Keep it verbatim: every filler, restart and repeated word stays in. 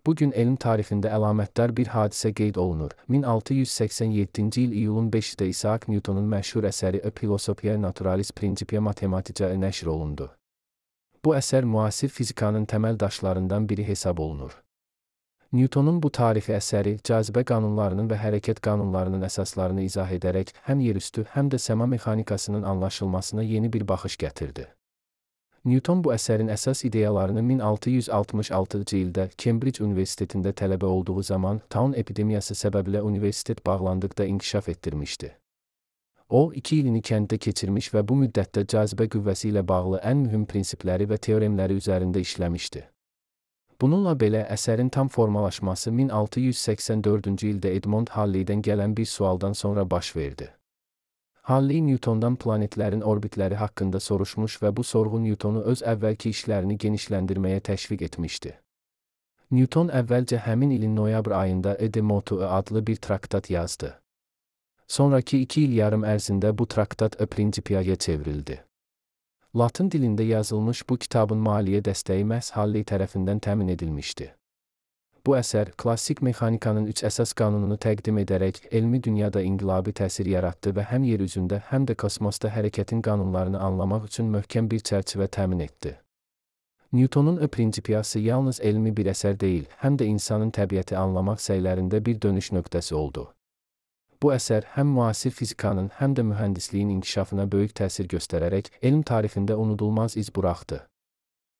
Bugün elm tarixində əlamətdar bir hadisə qeyd olunur. min altı yüz səksən yeddinci il iyulun beşində Isaac Newtonun məşhur əsəri A Philosophiae Naturalis Principia Mathematicae nəşr olundu. Bu əsər müasir fizikanın təməl daşlarından biri hesab olunur. Newtonun bu tarixi əsəri cazibə qanunlarının və hərəkət qanunlarının əsaslarını izah edərək həm yerüstü, həm də səma mexanikasının anlaşılmasına yeni bir baxış gətirdi. Newton bu əsərin əsas ideyalarını min altı yüz altmış altıncı ildə Cambridge Universitetində tələbə olduğu zaman taun epidemiyası səbəbilə universitet bağlandıqda inkişaf etdirmişdi. O, iki ilini kənddə keçirmiş və bu müddətdə cazibə qüvvəsi ilə bağlı ən mühüm prinsipləri və teoremləri üzərində işləmişdi. Bununla belə əsərin tam formalaşması min altı yüz səksən dördüncü ildə Edmond Halley'dən gələn bir sualdan sonra baş verdi. Halley Newtondan planetlərin orbitləri haqqında soruşmuş və bu sorğu Newtonu öz əvvəlki işlərini genişləndirməyə təşviq etmişdi. Newton əvvəlcə həmin ilin noyabr ayında E de Motu adlı bir traktat yazdı. Sonraki iki il yarım ərzində bu traktat A Principia'ya çevrildi. Latın dilində yazılmış bu kitabın maliyyə dəstəyi məhz Halley tərəfindən təmin edilmişdi. Bu əsər, klassik mexanikanın üç əsas qanununu təqdim edərək elmi dünyada inqilabi təsir yaratdı və həm yer üzündə, həm də kosmosda hərəkətin qanunlarını anlamaq üçün möhkəm bir çərçivə təmin etdi. Newtonun A Principiası yalnız elmi bir əsər deyil, həm də insanın təbiəti anlamaq səylərində bir dönüş nöqtəsi oldu. Bu əsər həm müasir fizikanın, həm də mühəndisliyin inkişafına böyük təsir göstərərək elm tarixində unudulmaz iz buraxdı.